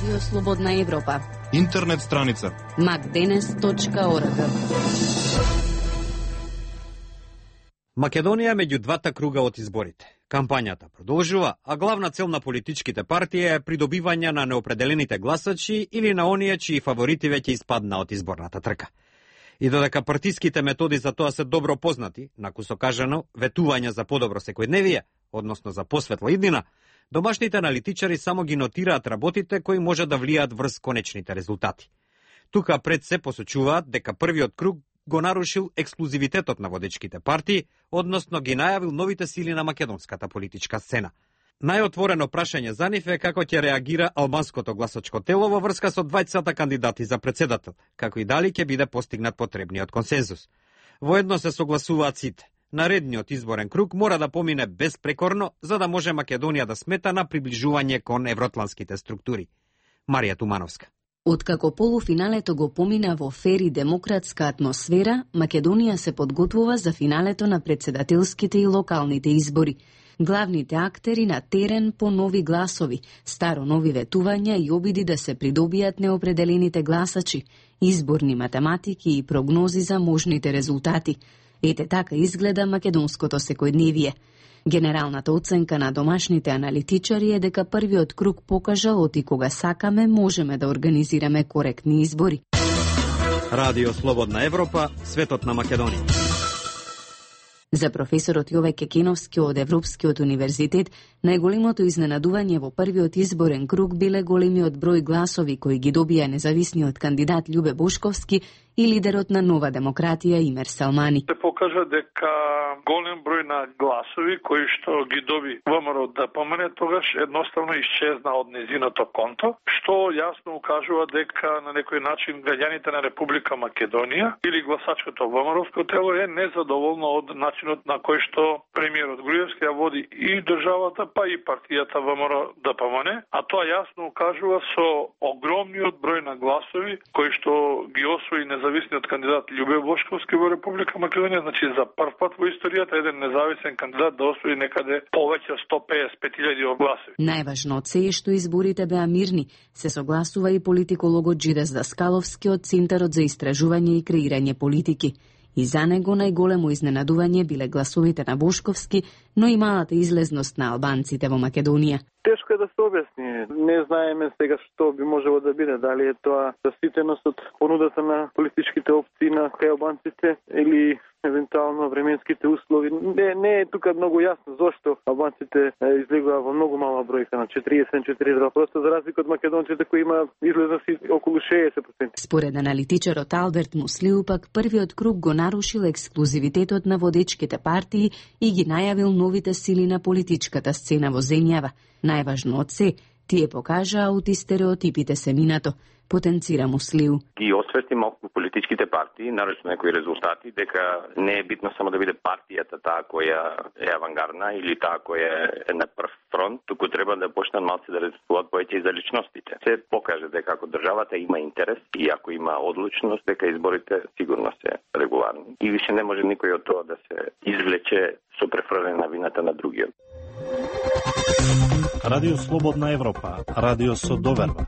Радио Слободна Европа. Интернет страница macdenes.org. Македонија меѓу двата круга од изборите. Кампањата продолжува, а главна цел на политичките партии е придобивање на неопределените гласачи или на оние чии фаворити веќе испадна од изборната трка. И додека партиските методи за тоа се добро познати, накусо кажано, ветување за подобро секојдневие, односно за посветла иднина, домашните аналитичари само ги нотираат работите кои може да влијаат врз конечните резултати. Тука пред се посочуваат дека првиот круг го нарушил ексклузивитетот на водечките партии, односно ги најавил новите сили на македонската политичка сцена. Најотворено прашање за нив е како ќе реагира албанското гласачко тело во врска со двајцата кандидати за председател, како и дали ќе биде постигнат потребниот консензус. Воедно се согласуваат сите. Наредниот изборен круг мора да помине безпрекорно, за да може Македонија да смета на приближување кон евроатланските структури. Марија Тумановска. Откако полуфиналето го помина во фер и демократска атмосфера, Македонија се подготвува за финалето на председателските и локалните избори. Главните актери на терен по нови гласови, старо нови ветувања и обиди да се придобијат неопределените гласачи, изборни математики и прогнози за можните резултати. Ете така изгледа македонското секојдневие. Генералната оценка на домашните аналитичари е дека првиот круг покажа оти кога сакаме можеме да организираме коректни избори. Радио Слободна Европа, светот на Македонија. За професорот Јове Кекиновски од Европскиот универзитет, најголемото изненадување во првиот изборен круг биле големиот број гласови кои ги добија независниот кандидат Љубе Бошковски и лидерот на Нова демократија Имер Салмани. Се покажа дека голем број на гласови кои што ги доби ВМРО да помине тогаш едноставно исчезна од незиното конто, што јасно укажува дека на некој начин граѓаните на Република Македонија или гласачкото ВМРО-ско тело е незадоволно од начинот на кој што премиерот Груевски ја води и државата, па и партијата ВМРО да помине, а тоа јасно укажува со огромниот број на гласови кои што ги освои независниот кандидат Љубе Бошковски во Република Македонија, значи за прв пат во историјата еден независен кандидат да освои некаде повеќе од 155.000 гласови. Најважно од се е што изборите беа мирни, се согласува и политикологот Джидес Даскаловски од Центарот за истражување и креирање политики. И за него најголемо изненадување биле гласовите на Бошковски, но и малата излезност на албанците во Македонија. Тешко е да се објасни. Не знаеме сега што би можело да биде, дали е тоа заситеност од понудата на политичките опции на албанците или евентуално временските услови. Не е тука многу јасно зошто албанците излегува во многу мала бројка на 40-42%, за разлика од македонците кои има излезност околу 60%. Според аналитичарот Алберт Муслиу пак првиот круг го нарушил ексклузивитетот на водечките партии и ги најавил новите сили на политичката сцена во земјава. Најважно од се, тие покажаа оти стереотипите семината, потенцира Муслиу. Ги осветли малку политичките партии, нарочно некои резултати, дека не е битно само да биде партијата таа која е авангардна или таа која е на прв фронт, туку треба да почнат малци да размислуваат повеќе и за личностите. Се покаже дека ако државата има интерес и ако има одлучност, дека изборите сигурно се регуларни. И више не може никој од тоа да се извлече со префрлена на вината на другиот. Радио Слободна Европа, радио со доверба.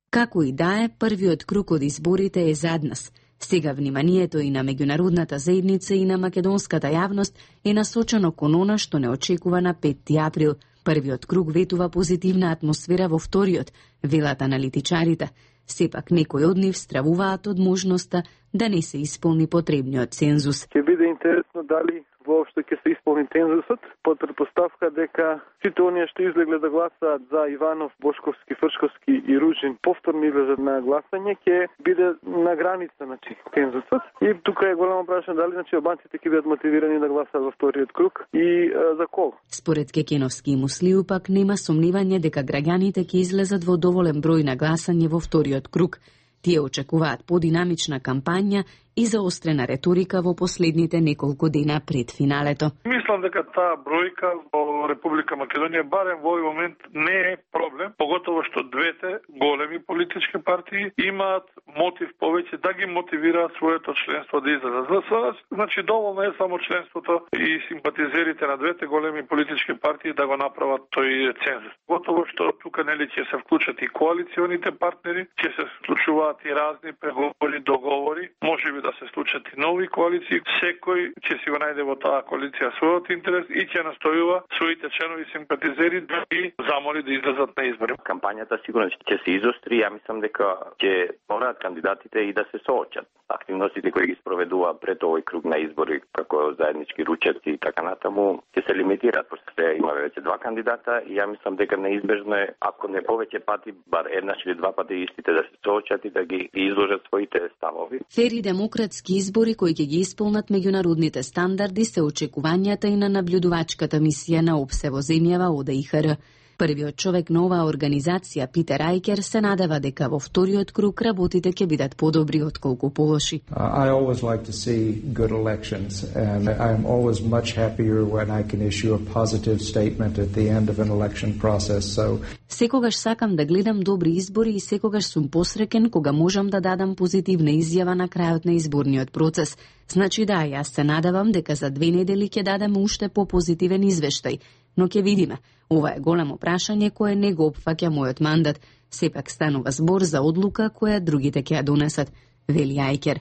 Како и да е, првиот круг од изборите е зад нас. Сега вниманието и на меѓународната заедница и на македонската јавност е насочено кон она што не очекува на 5 април. Првиот круг ветува позитивна атмосфера во вториот, велат аналитичарите. Сепак некои од нив стравуваат од можноста да не се исполни потребниот цензус. Ќе биде интересно дали воопшто ќе се исполни цензусот, под претпоставка дека сите оние што излегле да гласаат за Иванов, Бошковски, Фршковски и Ружин повторно излезат на гласање, ќе биде на граница цензусот. И тука е големо прашање дали албанците ќе бидат мотивирани да гласаат во вториот круг и за кого. Според Кекиновски и Муслиу пак нема сомневање дека граѓаните ќе излезат во доволен број на гласање во вториот круг. Тие очекуваат подинамична кампања и заострена реторика во последните неколку дена пред финалето. Мислам дека таа бројка во Република Македонија барем во овој момент не е проблем, поготово што двете големи политички партии имаат мотив повеќе да ги мотивираат своето членство да излезат. За сега, значи доволно е само членството и симпатизерите на двете големи политички партии да го направат тој цензус. Готово што тука нели ќе се вклучат и коалиционите партнери, ќе се случуваат и разни преговори, договори, можеби да се случат и нови коалиции. Секој ќе си го најде во таа коалиција својот интерес и ќе настојува своите членови симпатизери да ги замоли да излезат на избори. Кампањата сигурно ќе се изостри, ја мислам дека ќе мораат кандидатите и да се соочат. Активностите кои ги спроведува пред овој круг на избори, како заеднички ручеци и така натаму, ќе се лимитираат, пошто се има веќе два кандидата и ја мислам дека неизбежно е, ако не повеќе пати, бар еднаш или два пати истите да се соочат и да ги изложат своите ставови. Фери демократски избори кои ќе ги исполнат меѓународните стандарди се очекувањата и на наблюдувачката мисија на ОПСЕ во земјава ОДИХР. Првиот човек на оваа организација, Питер Ајкер, се надева дека во вториот круг работите ќе бидат подобри отколку полоши. I always like to see good elections and I am always much happier when I can issue a positive statement at the end of an election process. So секогаш сакам да гледам добри избори и секогаш сум посреќен кога можам да дадам позитивна изјава на крајот на изборниот процес. Значи да, јас се надевам дека за 2 недели ќе дадем уште попозитивен извештај, но ќе видиме. Ова е големо прашање кое не го опфаќа мојот мандат. Сепак станува збор за одлука која другите ќе ја донесат, вели Ајкер.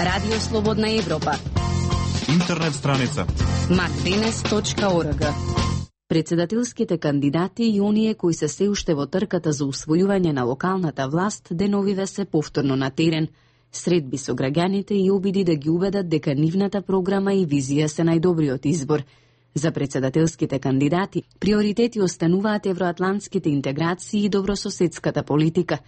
Радио Слободна Европа. Интернет страница macdenes.org. Председателските кандидати и оние кои се уште во трката за усвојување на локалната власт деновиве се повторно на терен. Средби со граѓаните и обиди да ги убедат дека нивната програма и визија се најдобриот избор. За председателските кандидати, приоритети остануваат евроатлантските интеграции и добрососедската политика.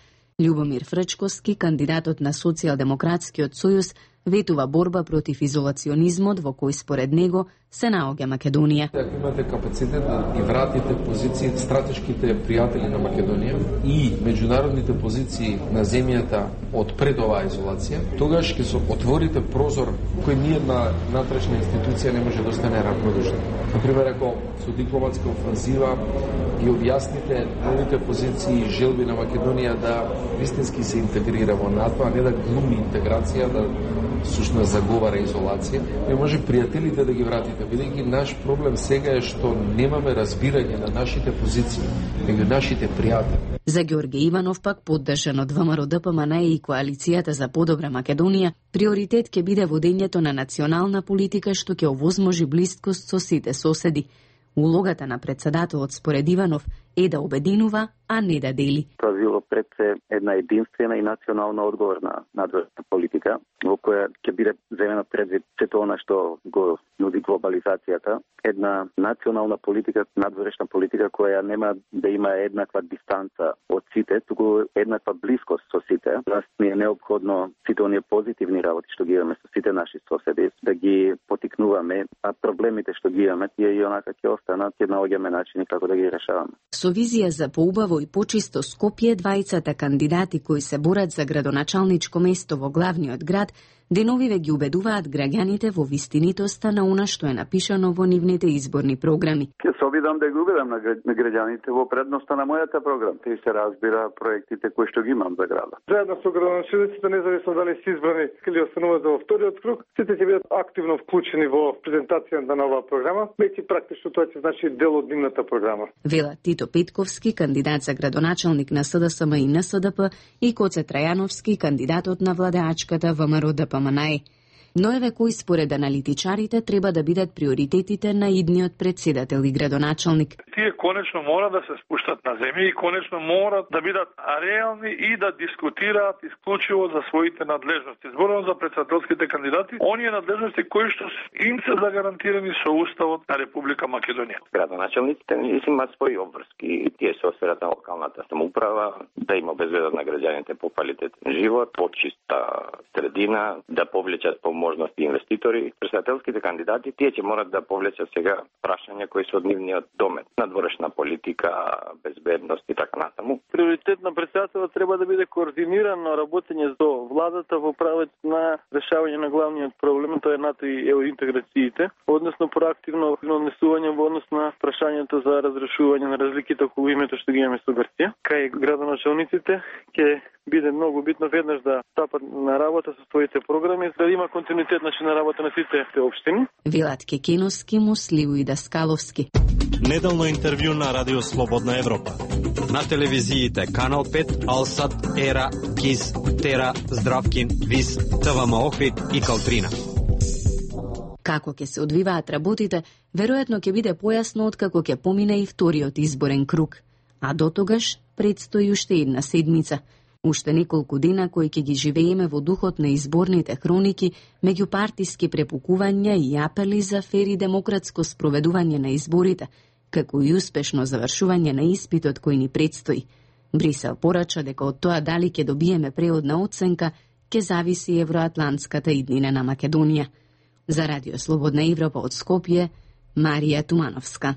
Љубомир Фрчковски, кандидатот на Социјалдемократскиот сојуз, ветува борба против изолационизмот во кој според него се наоѓа Македонија. Ако имате капацитет да ги вратите позиции стратешките пријатели на Македонија и меѓународните позиции на земјата од пред оваа изолација, тогаш ќе се отворите прозор кој ниедна натрешна институција не може да остане равнодушна. Например, ако со дипломатска офанзива ги објасните новите позиции и желби на Македонија да вистински се интегрира во НАТО, а не да глуми интеграција, да сушно заговара изолација, не може пријателите да ги вратите, бидејќи наш проблем сега е што немаме разбирање на нашите позиции, меѓу нашите пријатели. За Ѓорге Иванов пак, поддржан од ВМРО-ДПМН и коалицијата за подобра Македонија, приоритет ќе биде водењето на национална политика што ќе овозможи блискост со сите соседи. Улогата на председателот според Иванов е да обединува, а не да дели. Тоа било пред се една единствена и национална одговорна надворешна политика, во која ќе биде земено предвид сето она што го нуди глобализацијата, една национална политика, надворешна политика која нема да има еднаква дистанца од сите, туку еднаква блискост со сите. Нас ни е необходно сите оние позитивни работи што ги имаме со сите наши соседи, да ги потикнуваме, а проблемите што ги имаме, тие и онака ќе останат, ќе наоѓаме начини како да ги решаваме. Со визија за поубаво и почисто Скопје, двајцата кандидати кои се борат за градоначалничко место во главниот град, деновиве ги убедуваат граѓаните во вистинитоста на она што е напишано во нивните изборни програми. Ќе се обидам да ги убедам на граѓаните во предноста на мојата програма. Те се разбира проектите кои што ги имам за градот. Заедно со градоначалниците, независно дали се избрани или остануваат за вториот круг, сите ќе бидат активно вклучени во презентацијата на оваа програма, веќе практично тоа ќе значи дел од нивната програма. Вела Тито Петковски, кандидат за градоначалник на СДСМ и НСДП, и Коце Трајановски, кандидатот на владеачката ВМРО-ДПМН. Но еве кои според аналитичарите треба да бидат приоритетите на идниот председател и градоначалник. Тие конечно мора да се спуштат на земја и конечно мора да бидат реални и да дискутираат исклучиво за своите надлежности. Зборувам за председателските кандидати, оние надлежности кои што им се загарантирани со Уставот на Република Македонија. Градоначалниците имаат своји обврски, тие се осферата на локалната самоуправа, да им обезбедат на граѓаните поквалитетен живот, почиста средина, да повлечат можности инвеститори. Председателските кандидати тие ќе морат да повлечат сега прашања кои се од нивниот домет, надворешна политика, безбедност и така натаму. Приоритет на председателот треба да биде координирано работење со владата во правец на решавање на главниот проблем, тоа е НАТО и евроинтеграциите, односно проактивно однесување во однос на прашањето за разрешување на разликите околу името што ги имаме со Грција. Кај градоначалниците ќе биде многу битно веднаш да стапат на работа со своите програми, за да има континуитет на работа на сите општини. Велат Кекеновски, Мусливу и Даскаловски. Неделно интервју на Радио Слободна Европа. На телевизиите Канал 5, Алсат, Ера, КИС, Тера, Здравкин, ВИС, ТВМ Охрид и Калтрина. Како ќе се одвиваат работите, веројатно ќе биде појасно откако ќе помине и вториот изборен круг. А дотогаш предстои уште една седмица. Уште неколку дена кои ќе ги живееме во духот на изборните хроники, меѓупартиски препукувања и апели за фер и демократско спроведување на изборите, како и успешно завршување на испитот кој ни предстои. Брисел порача дека од тоа дали ќе добиеме преодна оценка, ќе зависи евроатлантската иднина на Македонија. За Радио Слободна Европа од Скопје, Марија Тумановска.